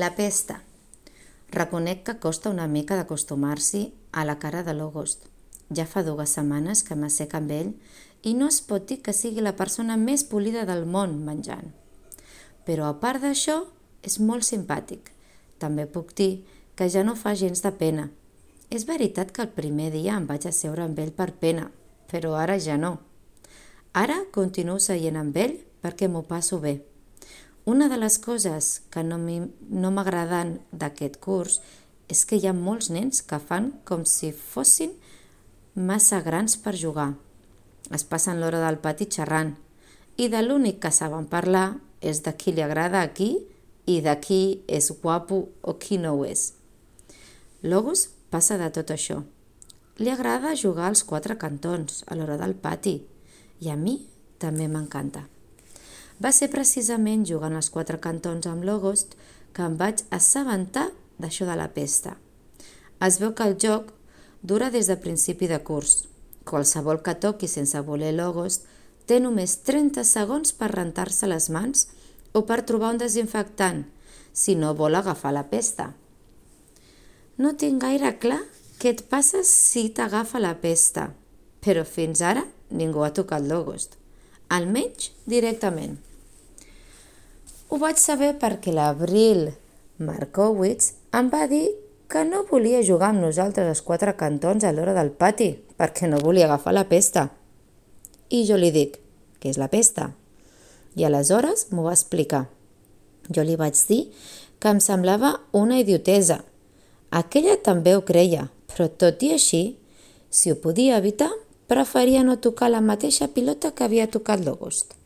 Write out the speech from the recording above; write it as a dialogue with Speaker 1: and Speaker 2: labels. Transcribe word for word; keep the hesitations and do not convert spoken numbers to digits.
Speaker 1: La pesta. Reconec que costa una mica d'acostumar-s'hi a la cara de l'August. Ja fa dues setmanes que m'assec amb ell i no es pot dir que sigui la persona més polida del món menjant. Però a part d'això, és molt simpàtic. També puc dir que ja no fa gens de pena. És veritat que el primer dia em vaig asseure amb ell per pena, però ara ja no. Ara continuo seient amb ell perquè m'ho passo bé. Una de les coses que no m'agraden d'aquest curs és que hi ha molts nens que fan com si fossin massa grans per jugar. Es passen l'hora del pati xerrant i de l'únic que saben parlar és de qui li agrada a qui i de qui és guapo o qui no ho és. L'August passa de tot això. Li agrada jugar als quatre cantons a l'hora del pati i a mi també m'encanta. Va ser precisament jugant als quatre cantons amb l'August que em vaig assabentar d'això de la pesta. Es veu que el joc dura des de principi de curs. Qualsevol que toqui sense voler l'August té només trenta segons per rentar-se les mans o per trobar un desinfectant, si no vol agafar la pesta. No tinc gaire clar què et passa si t'agafa la pesta, però fins ara ningú ha tocat l'August, almenys directament. Ho vaig saber perquè l'Avril Markowitz em va dir que no volia jugar amb nosaltres als quatre cantons a l'hora del pati perquè no volia agafar la pesta. I jo li dic, què és la pesta? I aleshores m'ho va explicar. Jo li vaig dir que em semblava una idiotesa. Aquella també ho creia, però tot i així, si ho podia evitar, preferia no tocar la mateixa pilota que havia tocat l'August.